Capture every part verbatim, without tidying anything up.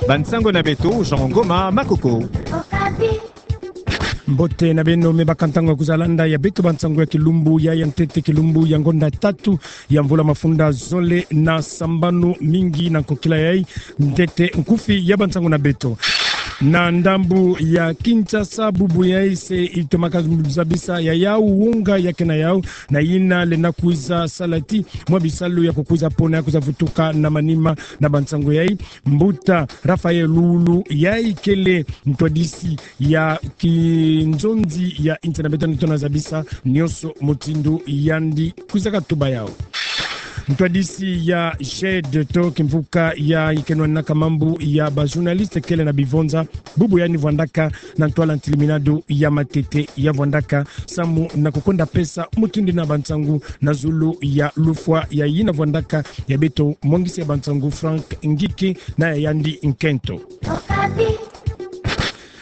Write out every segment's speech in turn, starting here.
Bansango na beto, Jean Ngoma Makoko. Mbote na beno, me baka ntangu ya kwiza landa ya beto bansango ya kilumbu ya, ya ntete, kilumbu ya ngonda tatu ya mvula mafunda zole na sambanu. Mingi na nkokila yai ntete nkufi ya bansango na beto. Na ndambu ya Kinshasa, bubu yai se itomaka zabisa ya yau wonga ya ke na yau, na yina lenda kwiza sala ti mwa bisalu ya kukwiza pona ya kwiza vutuka na manima na bansango yai. Mbuta Raphaël Lulu, yai kele ntwadisi ya kinzonzi ya inti na beto, ni tona zabisa nionso mutindu yandi kwizaka tuba yau. Ntwadisi ya G E D to kimvuka ya ikenwanaka mambu ya ba journaliste kele na bivonza, bubu yandi vwandaka na ntwala ntilimina du ya matete, ya vwandaka samu na kukwenda pesa mutindu na bansango na zulu ya lufwa ya yina vwandaka ya beto mwangisi ya bansango Frank Ngike na ya yandi nkento.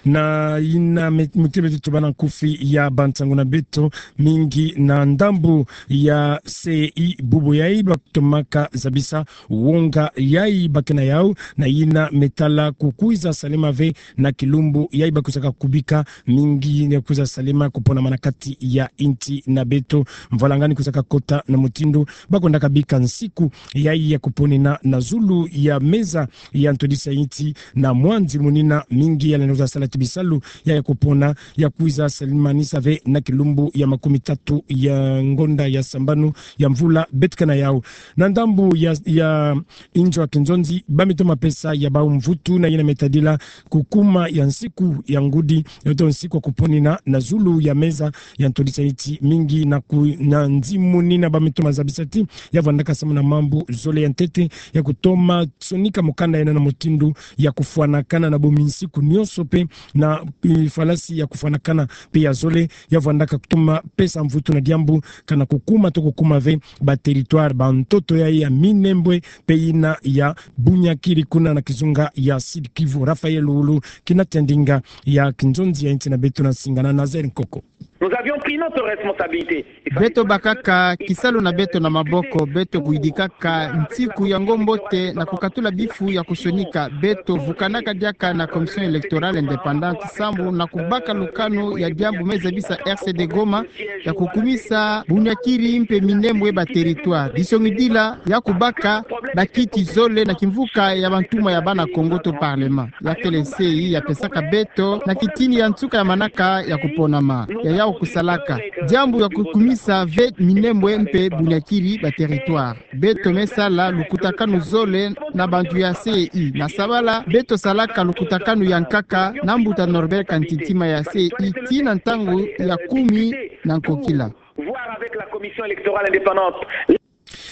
Na yina me-, mutindu beto tubana nkufi ya bansango na beto, mingi na ndambu ya C I, bubu yai batomaka zabisa wonga yai ba ke na yau, na yina me tala kukwiza salema ve na kilumbu yai bakwizaka kubika, mingi ya kwiza salema kuponama na kati ya inti na beto. Mvwalanga ni kwizaka kota na mutindu bakwendaka bika nsiku yai ya kuponena na zulu ya meza ya ntwadisi ya inti na mwa nzimunina, mingi ya lenda kwiza sala ti bisalu yai ya kupona ya kwiza salemanisa ve na kilumbu ya makumi tatu ya ngonda ya sambanu ya mvula beto ke na yau. Na ndambu ya, ya inzo ya kinzonzi, ba me toma pesa ya bau mvutu na yina me tadila kukuma ya nsiku ya ngudi, yo to nsiku ya kuponena na zulu ya meza ya ntwadisi ya inti, mingi na ku-, na nzimunina ba me toma zabisa ti ya vwandaka samu na mambu zole ya ntete ya kutoma sonika mukanda yina na mutindu ya kufwanakana na bomi nsiku nionso pe na, eh, falasi ya kufwanakana pe ya zole, ya vwandaka kutoma pesa mvutu na diambu kana kukuma to kukuma ve ba territoire, ba ntoto yai ya Minembwe pe yina ya Bunyakiri kuna na kizunga ya Sud-Kivu. Raphaël Lulu, kina tia ndinga ya kinzonzi ya inti na beto na singana na Nazaire Nkoko. Nous avions pris notre responsabilité. Beto bakaka kisalu na beto na maboko, beto kuyidikaka nsiku yango mbote na kukatula bifu ya kusonika. Beto vukanaka diaka na Commission électorale indépendante samu na kubaka lukanu ya diambu me zabisa R C D Goma ya kukumisa Bunyakiri mpe Minembwe ba territoire. Disongidila ya kubaka ba kiti zole na kimvuka ya bantuma ya bana Kongo to parlement. Ya kele C I ya pesaka beto na kitini ya nsuka ya manaka ya kuponama. Ya yau kusalaka diambu ya kukumisa ve Minembwe mpe Bunyakiri ba territoire. Beto me sala lukutakanu zole na bantu ya C I. Na sabala, beto salaka lukutakanu ya nkaka na mbuta Norbert Kantintima ya C I tii na ntangu ya kumi na nkokila. Voir avec la commission électorale indépendante.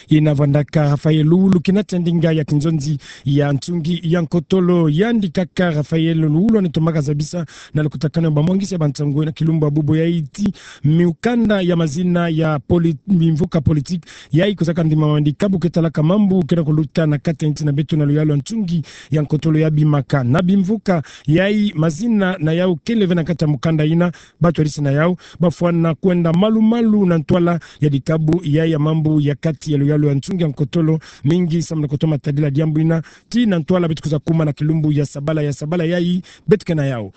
Yina vwandaka Raphaël Lulu, kina tia ndinga ya kinzonzi ya nsungi ya nkotolo. Yandi kaka Raphaël Lulu ane tomaka zabisa na lukutakanu ya bamwangisi ya bansango na kilumbu ya bubu yai ti mukanda ya mazina ya poli-, mimvuka politique yai kwizaka ndimama na dikabu ke talaka mambu ke na kuluta na kati ya inti na beto na luyalu ya nsungi ya nkotolo ya bimaka. Na bimvuka yai, mazina na yau kele ve na kati ya mukanda yina, batwadisi na yau bafwana kwenda malu-malu na ntwala ya dikabu yai ya mambu ya kati ya luyalu ya nsungi ya nkotolo, mingi samu na kutoma tadila diambu yina tii na ntwala beto kwiza kuma na kilumbu ya sabala, ya sabala yai beto ke na yau.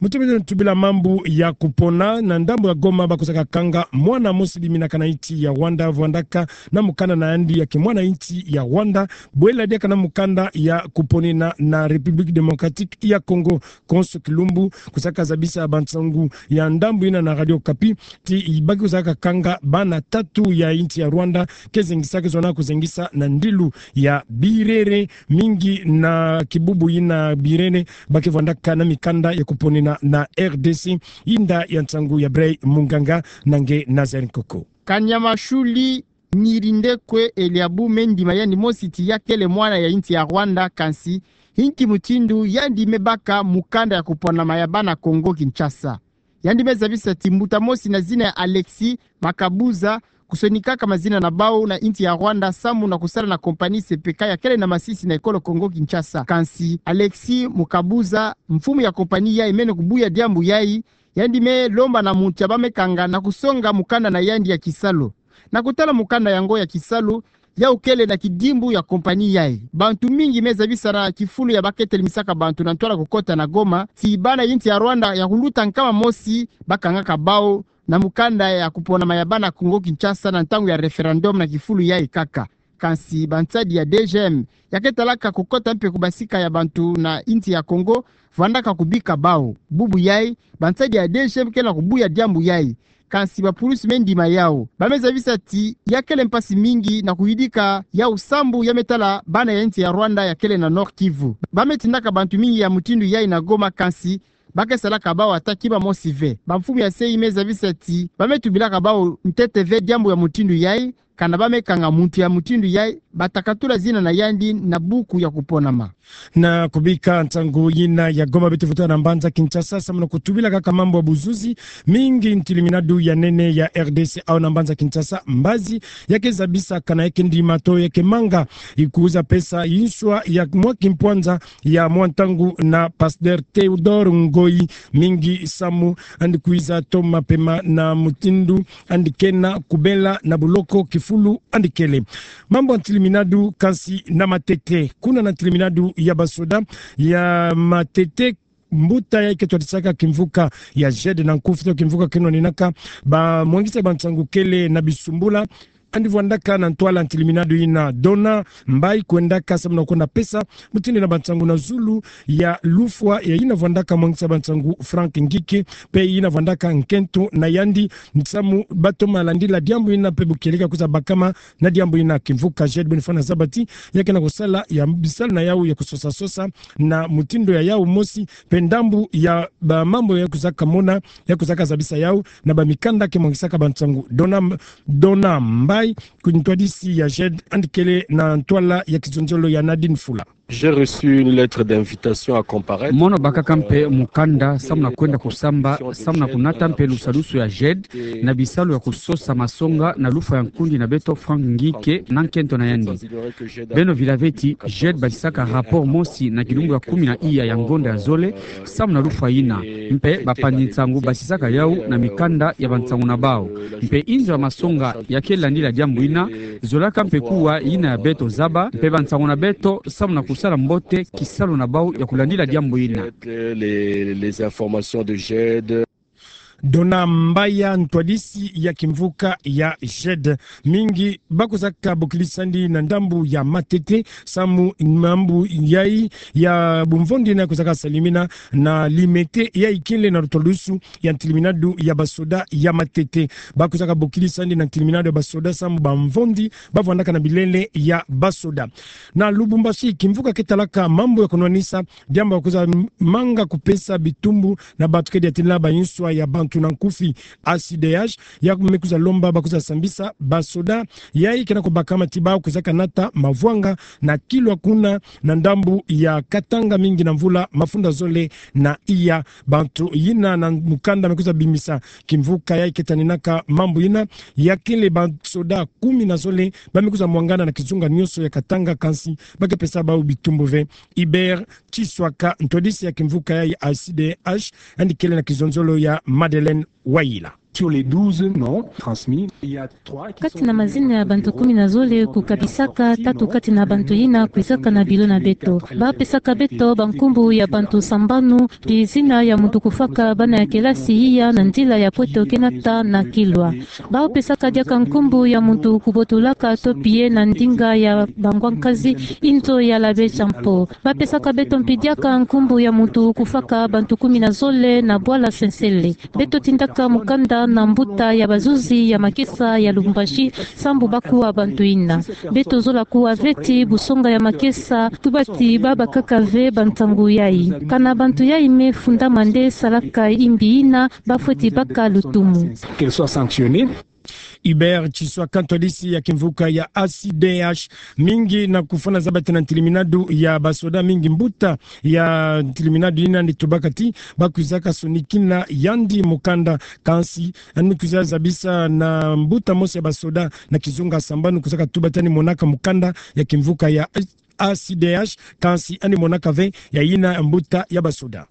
Mutindu beto tubila mambu ya kupona, na ndambu ya Goma bakwizaka kanga mwana mosi biminaka na inti ya Rwanda, vwandaka na mukanda na yandi ya kimwana inti ya Rwanda, bwela diaka na mukanda ya kuponena na République démocratique ya Congo. Konso kilumbu kwizaka zabisa bansango ya ndambu yina na Radio Okapi ti ba kwizaka kanga bana tatu ya inti ya Rwanda ke zengisaka, zona kuzengisa na ndilu ya Birere, mingi na kibubu yina Birere ba ke vwandaka na mikanda ya kuponena na R D C. Inda ya nsango ya Bray Munganga na nge Nazaire Nkoko. Kanyamashuli Ngirindekwe Eliabu me ndima yandi mosi ti ya kele mwana ya inti ya Rwanda, kansi inki mutindu yandi me baka mukanda ya kuponama ya bana Congo Kinshasa. Yandi me zabisa ti mbuta mosi na zina ya Alexis Makabuza, kusonikaka mazina na bau na inti ya Rwanda samu na kusala na compagnie C P K ya kele na masisi na ekolo Congo Kinshasa. Kansi Alexis Mukabuza, mfumu ya compagnie yai, mene kubuya diambu yai, yandi me lomba na muntu ya ba me kanga na kusonga mukanda na yandi ya kisalu. Na kutala mukanda yango ya kisalu, yau kele na kidimbu ya compagnie yayi. Bantu mingi me zabisa na kifulu ya baketele misaka bantu na ntwala kukota na Goma, ti bana ya insi ya Rwanda ya kuluta nkama mosi bakangaka bau na mukanda ya kuponama ya bana Congo Kinshasa na ntangu ya référendum na kifulu yayi kaka. Kansi bansadi ya D G M ya ketalaka kukota mpe kubasika ya bantu na insi ya Congo, vandaka kubika bau. Bubu yayi, bansadi ya D G M kele na kubuya diambu yayi. Kansi bapulusi me ndima yau. Ba me zabisa ti ya kele mpasi mingi na kuyidika yau sambu ya me tala bana ya insi ya Rwanda ya kele na Nord-Kivu. Ba me tindaka bantu mingi ya mutindu yayi na Goma, kansi ba ke salaka bau ata kima mosi ve. Bamfumu ya se yi me zabisa ti ba me tubilaka bau ntete ve diambu ya mutindu yayi, kana ba me kanga muntu ya mutindu yayi, bata katula zina na yandi na buku ya kuponama. Na kubika nsangu yina ya Goma, beto fuluta na mbanza Kinshasa, samu na kutubila kaka mambu ya buzuzi, mingi ntiliminadu ya nene ya R D C au na mbanza Kinshasa, mbazi ya ke zabisa kana ya ke ndima to ya ke manga, ikuza pesa inswa ya mwa kimpwanza ya mwa ntangu na Pasteur Théodore Ngoyi, mingi samu yandi kwiza toma pema na mutindu yandi kena kubela na buloko kifulu yandi kele. Mambu ya ntiliminadu kansi na Matete. Kuna na ntiliminadu ya basoda ya Matete, mbuta yayi ke twadisaka kimvuka ya JED na nkufi to kimvuka ke nwaninaka bamwangisa bansangu kele na bisumbula, yandi vwandaka na ntwala ntiliminadu yina. Dona Mbayi kwendaka samu na kwenda pesa mutindu na bansangu na zulu ya lufwa ya yina vwandaka mwangisa bansangu Franck Ngike, mpe yina vwandaka nkento na yandi, samu ba toma landila diambu yina mpe bukieleka kwiza bakama na diambu yina. Kimvuka JED beno fana zaba ti ya ke na kusala ya bisalu na yau ya kusosa-sosa na mutindu ya yau mosi, mpe ndambu ya bamambu ya kwizaka mona, ya kwizaka zabisa yau na bamikanda ke mwangisaka bansangu. Dona, Dona Mbayi, ntwadisi ya JED, yandi kele na ntwala ya kizonzolo ya Nadine Fula. J'ai reçu une lettre d'invitation à comparaître. Mono bakaka mpe mukanda samu na kwenda kusamba, samu na kunata mpe lusadusu ya JED na bisalu ya kusosa masonga na lufwa ya nkundi na beto Franck Ngike na nkento na yandi. Beno vila ve ti JED batisaka rapport mosi na kilumbu ya kumi na iya ya ngonda ya zole, samu na lufwa yina. Mpe bapanzi nsangu batisaka yau na mikanda ya bansangu na bau. Mpe inzo ya masonga ya ke landila diambu yina zolaka mpe kuwa yina ya beto zaba, mpe bansangu na beto samu na kusala mbote kisalu na bau ya kulandila diambu yina. Les, les informations de JED. Dona Mbayi, ntwadisi ya kimvuka ya JED. Mingi ba kwizaka bokilisa yandi na ndambu ya Matete, samu mambu yayi ya bumvondi yina kwizaka salimina na limete yayi kele na lutwadusu ya ntiliminadu ya basoda ya Matete. Ba kwizaka bokilisa yandi na ntiliminadu ya basoda samu bamvondi ba vwandaka na bilele ya basoda. Na Lubumbashi, kimvuka ke talaka mambu ya kunwanisa diambu ya kwiza manga kupesa bitumbu na bantu ke diatinla ba inswa ya bantu na nkufi, A C D H, ya me kwiza lomba ba kwiza sambisa basoda yayi ke na kubakama ti ba kwizaka nata mavwanga na Kilwa kuna na ndambu ya Katanga mingi na mvula mafunda zole na iya. Bantu yina na mukanda me kwiza bimisa kimvuka yayi ke taninaka mambu yina, ya kele basoda kumi na zole ba me kwiza mwangana na kizunga nionso ya Katanga, kansi ba ke pesa bau bitumbu ve. Hubert Chiswaka, ntwadisi ya kimvuka yayi A C D H, yandi kele na kizonzolo ya Madeleine Wayila. Sur les douze noms transmis, il y a trois qui sont... Kati na mazina ya bantu kumi na zole kukabisaka, tatu kati na bantu yina kwizaka na biro na beto. Ba pesaka beto bankumbu ya bantu sambanu, pi zina ya muntu kufaka bana ya kelasi iya na nzila ya pweto ke nata na Kilwa. Ba pesaka diaka nkumbu ya muntu kubotolaka to pie na ndinga ya bangwa nkazi, inzo ya l'abbé Jean-Paul. Ba pesaka beto mpi diaka nkumbu ya muntu kufaka bantu kumi na zole na bwala Sensele. Beto tindaka mukanda na mbuta ya bazuzi ya makesa ya Lubumbashi, sambu ba kuwa bantu yina. Beto zola kuwa ve ti busonga ya makesa, tuba ti ba bakaka ve bansangu yayi. Kana bantu yayi me fundama nde salaka imbi yina, ba fweti baka lutumu. Qu'elle soit sanctionnée. Hubert Chiswaka, ntwadisi ya kimvuka ya A C D H, mingi na kufana zaba ti na ntiliminadu ya basoda mingi, mbuta ya ntiliminadu yina yandi tubaka ti ba kwizaka sonikina yandi mukanda, kansi yandi kwiza zabisa na mbuta mosi ya basoda na kizunga sambanu, kwizaka tuba ti yandi monaka mukanda ya kimvuka ya A C D H, kansi yandi monaka ve ya yina mbuta ya basoda.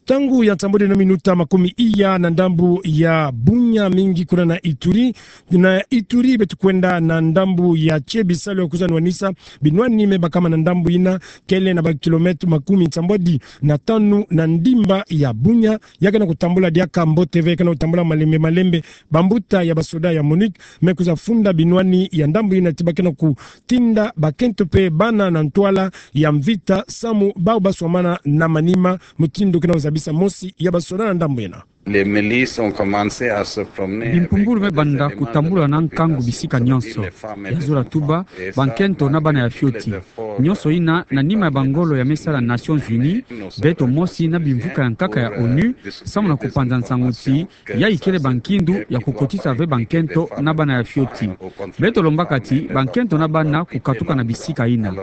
Ntangu ya nsambwadi na minuta makumi iya na ndambu ya Bunia, mingi kuna na Ituri. Na Ituri beto kwenda na ndambu ya tie, bisalu ya kwiza nwanisa binwani me bakama na ndambu yina, kele na ba kilomètre makumi nsambwadi na tanu na ndimba ya Bunia. Ya ke na kutambula diaka mbote ve, ya ke na kutambula malembe malembe. Bambuta ya basoda ya MONUC me kwiza funda binwani ya ndambu yina ti ba ke na kutinda bakento pe bana na ntwala ya mvita samu bau baswamana na manima, mutindu ke na kuzabisa mosi ya basoda na ndambu yina. Les milices ont commencé à se promener avec des armes de guerre. Bimpumbulu me banda kutambula na nkangu bisika nyonso. Ya zola tuba, bankento na bana ya fioti. Nyonso yina na nima ya bangolo ya me sala Nations Unies, beto mosi na bimvuka ya nkaka ya onu, samu na kupanza nsangu ti yayi kele bankindu ya kukotisa ve bankento na bana ya fioti. Beto lombaka ti bankento na bana kukatuka na bisika yina.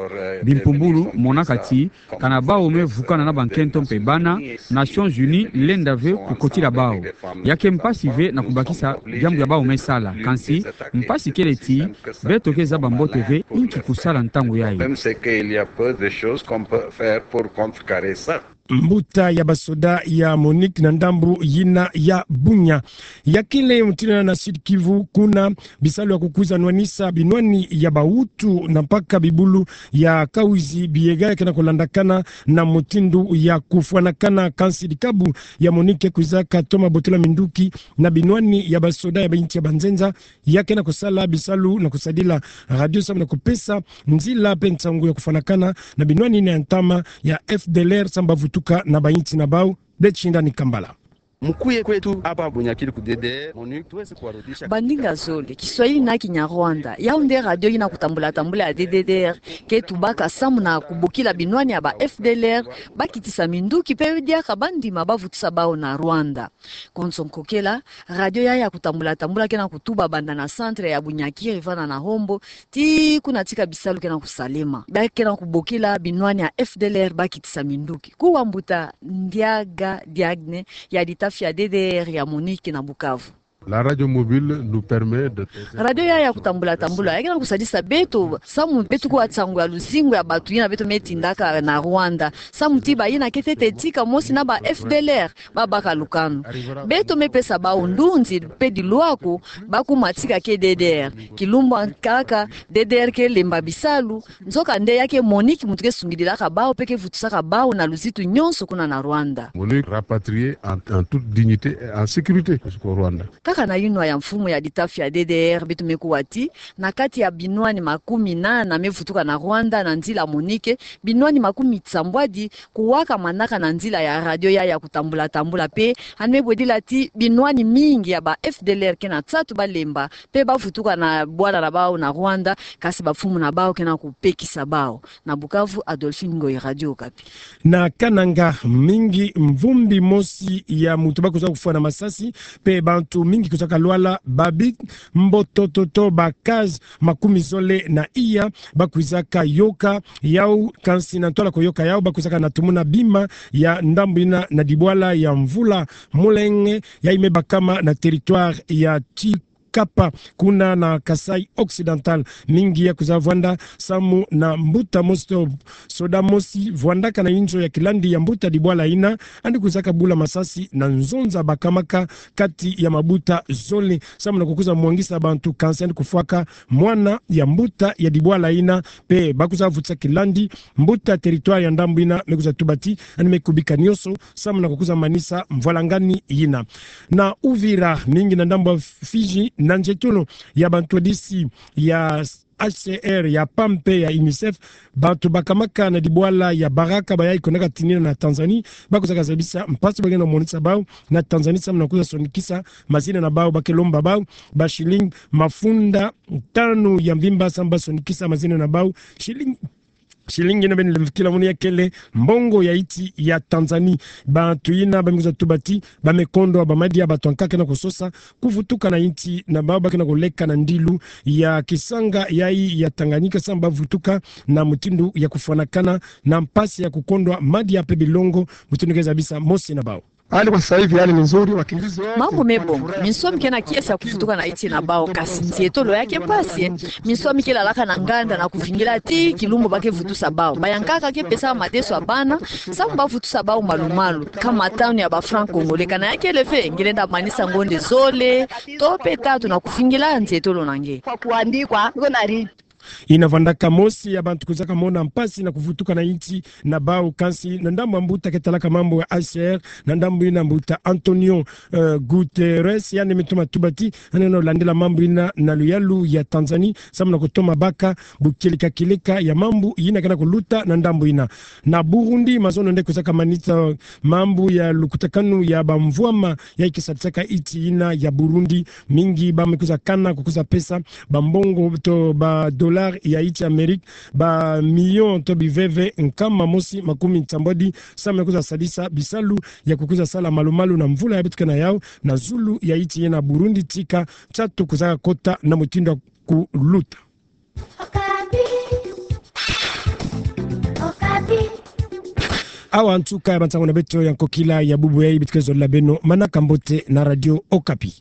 Bimpumbulu monaka ti kana bau me vukana na bankento mpe bana, Nations Unies lenda ve kukotila bau. Ya ke mpasi ve na kubakisa diambu ya bau me sala, kansi mpasi kele ti beto ke zaba mbote ve inki kusala ntangu yayi. Même ce qu'il y a peu de choses qu'on peut faire pour contrecarrer ça. Mbuta ya basoda ya MONUC na ndambu yina ya Bunia. Ya kele mutindu yina na Sud-Kivu, kuna bisalu ya kukwiza nwanisa binwani ya bahutu na mpaka bibulu ya Kahuzi-Biega ya ke na kulandakana na mutindu ya kufwanakana, kansi dikabu ya MONUC ke kwizaka toma botola minduki na binwani ya basoda ya bainsi ya banzenza. Ya ke na kusala bisalu na kusadila radio samu na kupesa nzila mpe nsangu ya kufwanakana na binwani yina ya ntama ya F D L R samu bavutuka na bainsi na bau. Betsinda Nikambala. Mkuye kwetu hapa Bunyakiri ku D D R, MONUC tuweze kuwarudisha. Bandinga zole, Kiswahili na Kinyarwanda. Yau nde radio yina kutambula tambula ya D D R ke tubaka samu na kubokila binwani ya ba F D L R bakitisa minduki mpe diaka bandima bavutusa bau na Rwanda. Konso nkokela, radio yayi ya kutambula tambula ke na kutuba banda na centre ya Bunyakiri vana na Hombo, tii kuna tika bisalu ke na kusalema. Ba ke na kubokila binwani ya F D L R bakitisa minduki. Kuwa mbuta Ndiaga Diagne ya litafi ya D D R ya MONUC na Bukavu. La radio mobile nous permet de... Radio yayi ya kutambula tambula ya ke na kusadisa beto samu beto kuwa nsangu ya luzingu ya bantu yina beto me tindaka na Rwanda. Samu ti bayina ke tete tika mosi na ba F D L R, babaka lukanu. Beto me pesa bau ndunzi mpe dilwako, bakuma tika ke D D R. Kilumbu nkaka, D D R ke lemba bisalu, nzoka nde ya ke MONUC muntu ke sungidilaka bau mpe ke vutusaka bau na luzitu nyonso kuna na Rwanda. MONUC rapatrié en, en toute dignité et en sécurité jusqu'au Rwanda. Kaka na yinwa ya mfumu ya litafi ya D D R beto me kuwa ti, na kati ya binwani makumi nana me vutuka na Rwanda na nzila MONUC, binwani makumi nsambwadi kuwaka manaka na nzila ya radio yayi ya kutambula tambula mpe, yandi me bwedila ti binwani mingi ya ba F D L R ke na nsatu balemba mpe bavutuka na bwala na bau na Rwanda, kansi bamfumu na bau ke na kupekisa bau. Na Bukavu, Adolphine Ngoyi, Radio Okapi. Na Kananga, mingi mvumbi mosi ya muntu bakwiza kufwa na masasi, mpe bantu mingi kwizaka lwala, babi mbotototo, ba cas makumi zole na iya bakwizaka yoka yau, kansi na ntwala kuyoka yau bakwizaka na tumuna bima ya ndambu yina na dibwala ya Mvula Mulenge, yayi me bakama na territoire ya Tsi- kapa, kuna na Kasaï Occidental. Mingi ya kwiza vwanda samu na mbuta mosi to soda mosi vwandaka na inzo ya kilandi ya mbuta dibwala yina, yandi kwizaka bula masasi na nzonza bakamaka kati ya mabuta zole, samu na kukwiza mwangisa bantu, kansi yandi kufwaka mwana ya mbuta ya dibwala yina, mpe bakwiza vutisa kilandi. Mbuta territoire ya ndambu yina me kwiza tuba ti yandi me kubika nyonso samu na kukwiza manisa mvwalangani yina. Na Uvira, mingi na ndambu ya Fidji, na nzietolo ya bantwadisi ya H C R, ya pam mpe ya UNICEF, bantu bakamaka na dibwala ya Baraka, bayayi kwendaka tinina na Tanzanie, bakwizaka zabisa mpasi ba ke na monisa bau na Tanzanie samu na kwiza sonikisa mazina na bau. Ba ke lomba bau ba shilling mafunda tanu ya mvimba samu ba sonikisa mazina na bau. Shilling Shilling yina beno lemvokila munu ya kele mbongo ya insi ya Tanzanie. Bantu yina ba me kwiza tuba ti ba me kondwa ba madia, bantu ankaka ke na kusosa kuvutuka na insi na bau, ba ke na kuleka na ndilu ya kisanga yayi ya Tanganyika samu ba vutuka na mutindu ya kufwanakana na mpasi ya kukondwa madia mpe bilongo, mutindu ke zabisa mosi na bau. Hali kwa sasa hivi, hali ni nzuri, wakimbizi wote. Mambu me bonga, minsoni ke na kiese ya kuvutuka na insi na bau, kasi nzietolo yake mpasi. Minsoni ke lalaka na nganda na kuvingila tii kilumbu ba ke vutusa bau. Bayankaka ke pesa madesu ya bana, samu ba vutusa bau malu-malu, kama tanu ya ba francs congolais. Kana yake leve, ngelenda manisa ngonde zole, to pe tatu na kuvingila nzietolo na nge. Kwa kuandikwa, niko na ri- Ina vandaka mosi ya bantu kwizaka mona mpasi na kuvutuka na insi na bau, kansi na ndambu ya mbuta ke talaka mambu ya H C R, na ndambu ina mbuta Antonio, eh, Guterres, yandi me toma tuba ti, yandi na landila mambu ina na luyalu ya Tanzanie, samu na kutoma baka bukieleka-kieleka ya mambu ina ke na kuluta na ndambu ina. Na Burundi, mazono nde kwizaka manisa mambu ya lukutakanu ya bamvwama ya ke sadisaka insi ina ya Burundi, mingi ba me kwiza kana, kukwiza pesa bambongo to ba dollars ya insi Amérique, ba millions to biveve nkama mosi makumi nsambwadi, samu ya kwiza sadisa bisalu ya kukwiza sala malu-malu na mvula ya beto ke na yau, na zulu ya insi ina Burundi, tika nsatu kwizaka kota na mutindu ya kuluta. Awa nsuka ya bansangu na beto ya nkokila ya bubu yayi, beto ke zolila beno manaka mbote na Radio Okapi.